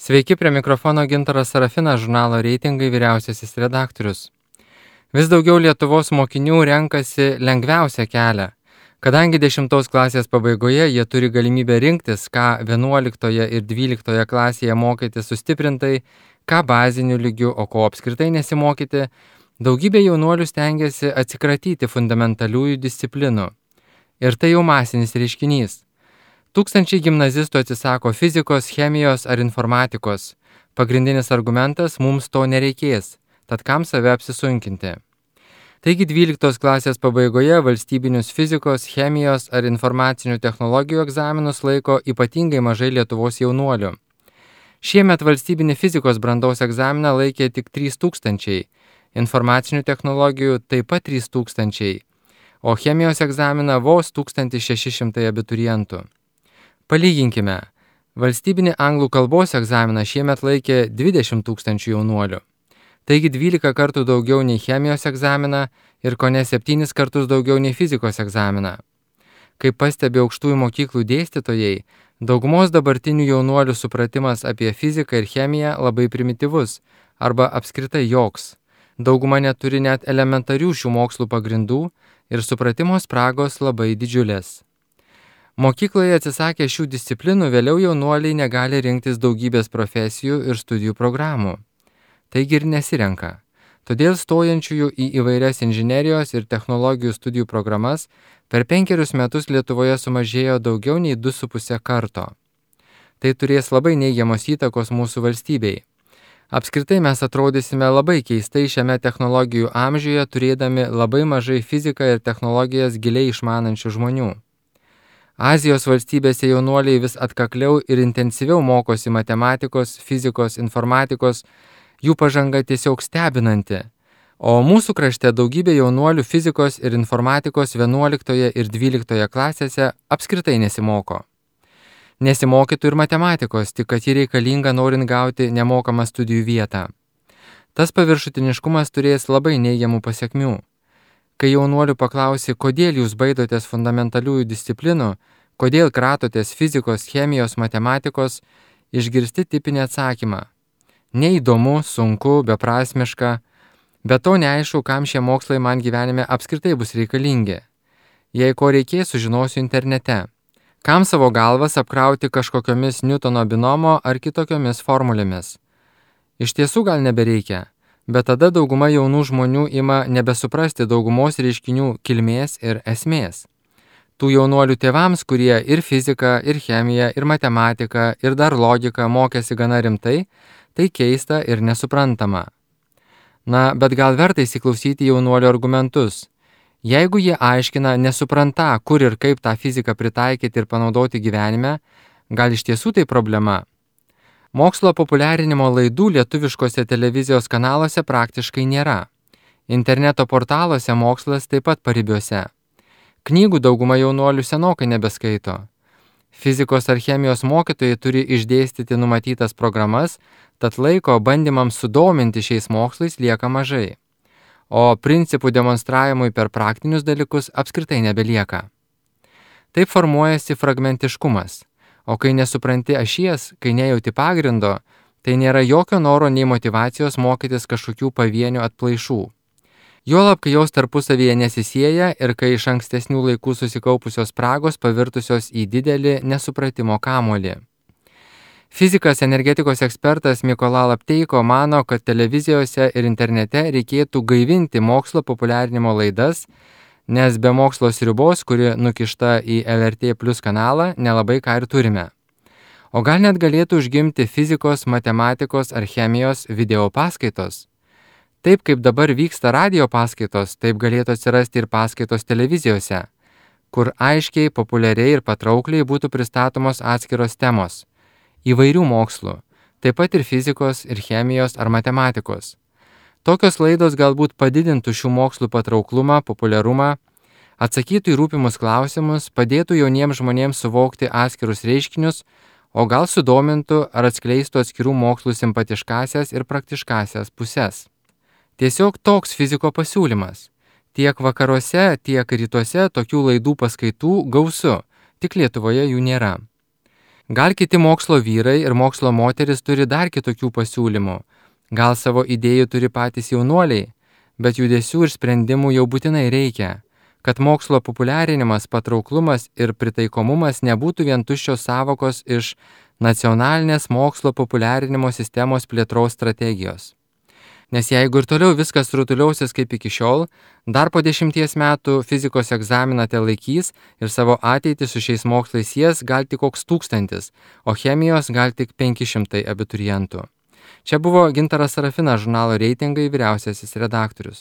Sveiki, prie mikrofono Gintaras Sarafinas, žurnalo Reitingai vyriausiasis redaktorius. Vis daugiau Lietuvos mokinių renkasi lengviausią kelią. Kadangi 10 klasės pabaigoje jie turi galimybę rinktis, ką 11 ir 12 klasėje mokyti sustiprintai, ką baziniu lygiu, o ko apskritai nesimokyti, daugybė jaunuolių stengiasi atsikratyti fundamentaliųjų disciplinų. Ir tai jau masinis reiškinys. Tūkstančiai gimnazistų atsisako fizikos, chemijos ar informatikos. Pagrindinis argumentas – mums to nereikės, tad kam save apsisunkinti. Taigi 12 klasės pabaigoje valstybinius fizikos, chemijos ar informacinių technologijų egzaminus laiko ypatingai mažai Lietuvos jaunuolių. Šiemet valstybinį fizikos brandos egzaminą laikė tik 3000, informacinių technologijų taip pat 3000, o chemijos egzaminą vos 1600 abiturientų. Palyginkime, valstybinį anglų kalbos egzaminą šiemet laikė 20 000 jaunuolių. Taigi 12 kartų daugiau nei chemijos egzaminą ir kone 7 kartus daugiau nei fizikos egzaminą. Kaip pastebi aukštųjų mokyklų dėstytojai, daugumos dabartinių jaunuolių supratimas apie fiziką ir chemiją labai primityvus arba apskritai joks. Dauguma neturi net elementarių šių mokslų pagrindų ir supratimo spragos labai didžiulės. Mokykloje atsisakę šių disciplinų vėliau jaunuoliai negali rinktis daugybės profesijų ir studijų programų. Taigi ir nesirenka. Todėl stojančiųjų į įvairias inžinerijos ir technologijų studijų programas per 5 metus Lietuvoje sumažėjo daugiau nei 2,5 karto. Tai turės labai neigiamos įtakos mūsų valstybei. Apskritai mes atrodysime labai keistai šiame technologijų amžiuje, turėdami labai mažai fiziką ir technologijas giliai išmanančių žmonių. Azijos valstybėse jaunuoliai vis atkakliau ir intensyviau mokosi matematikos, fizikos, informatikos, jų pažanga tiesiog stebinanti. O mūsų krašte daugybė jaunuolių fizikos ir informatikos 11 ir 12 klasėse apskritai nesimoko. Nesimokytų ir matematikos, tik kad ji reikalinga norint gauti nemokamą studijų vietą. Tas paviršutiniškumas turės labai neigiamų pasekmių. Kai jaunuolių paklausi, kodėl jūs baidotės fundamentaliųjų disciplinų, kodėl kratotės fizikos, chemijos, matematikos, išgirsti tipinį atsakymą. Neįdomu, sunku, beprasmiška, bet to neaišku, kam šie mokslai man gyvenime apskritai bus reikalingi. Jei ko reikės, sužinosiu internete. Kam savo galvas apkrauti kažkokiomis Newtono binomo ar kitokiomis formulėmis? Iš tiesų gal nebereikia. Bet tada dauguma jaunų žmonių ima nebesuprasti daugumos reiškinių kilmės ir esmės. Tų jaunuolių tėvams, kurie ir fiziką, ir chemiją, ir matematiką, ir dar logiką mokėsi gana rimtai, tai keista ir nesuprantama. Na, bet gal verta įsiklausyti jaunuolių argumentus. Jeigu jie aiškina nesupranta, kur ir kaip tą fiziką pritaikyti ir panaudoti gyvenime, gal iš tiesų tai problema? Mokslo populiarinimo laidų lietuviškose televizijos kanaluose praktiškai nėra. Interneto portaluose mokslas taip pat paribiuose. Knygų dauguma jaunuolių senokai nebeskaito. Fizikos ar chemijos mokytojai turi išdėstyti numatytas programas, tad laiko bandymams sudominti šiais mokslais lieka mažai. O principų demonstravimui per praktinius dalykus apskritai nebelieka. Taip formuojasi fragmentiškumas. O kai nesupranti ašies, kai nejauti pagrindo, tai nėra jokio noro nei motyvacijos mokytis kažkokių pavienių atplaišų. Juolab, kai jos tarpusavyje nesisieja ir kai iš ankstesnių laikų susikaupusios spragos pavirtusios į didelį nesupratimo kamuolį. Fizikas energetikos ekspertas Mykola Lapteiko mano, kad televizijose ir internete reikėtų gaivinti mokslo populiarinimo laidas, nes be mokslo sriubos, kuri nukišta į LRT Plus kanalą, nelabai ką ir turime. O gal net galėtų užgimti fizikos, matematikos ar chemijos video paskaitos. Taip kaip dabar vyksta radio paskaitos, taip galėtų atsirasti ir paskaitos televizijose, kur aiškiai, populiariai ir patraukliai būtų pristatomos atskiros temos. Įvairių mokslų, taip pat ir fizikos, ir chemijos ar matematikos. Tokios laidos galbūt padidintų šių mokslų patrauklumą, populiarumą, atsakytų į rūpimus klausimus, padėtų jauniems žmonėms suvokti atskirus reiškinius, o gal sudomintų ar atskleistų atskirų mokslų simpatiškasias ir praktiškasias puses. Tiesiog toks fiziko pasiūlymas. Tiek vakaruose, tiek rytuose tokių laidų paskaitų gausu, tik Lietuvoje jų nėra. Gal kiti mokslo vyrai ir mokslo moteris turi dar kitokių pasiūlymų. Gal savo idėjų turi patys jaunuoliai, bet judesių ir sprendimų jau būtinai reikia, kad mokslo populiarinimas, patrauklumas ir pritaikomumas nebūtų vien tuščios sąvokos iš nacionalinės mokslo populiarinimo sistemos plėtros strategijos. Nes jeigu ir toliau viskas rutuliausis kaip iki šiol, dar po 10 metų fizikos egzaminą te laikys ir savo ateitį su šiais mokslais sies gal tik koks 1000, o chemijos gal tik 500 abiturientų. Čia buvo Gintaras Sarafinas, žurnalo Reitingai vyriausiasis redaktorius.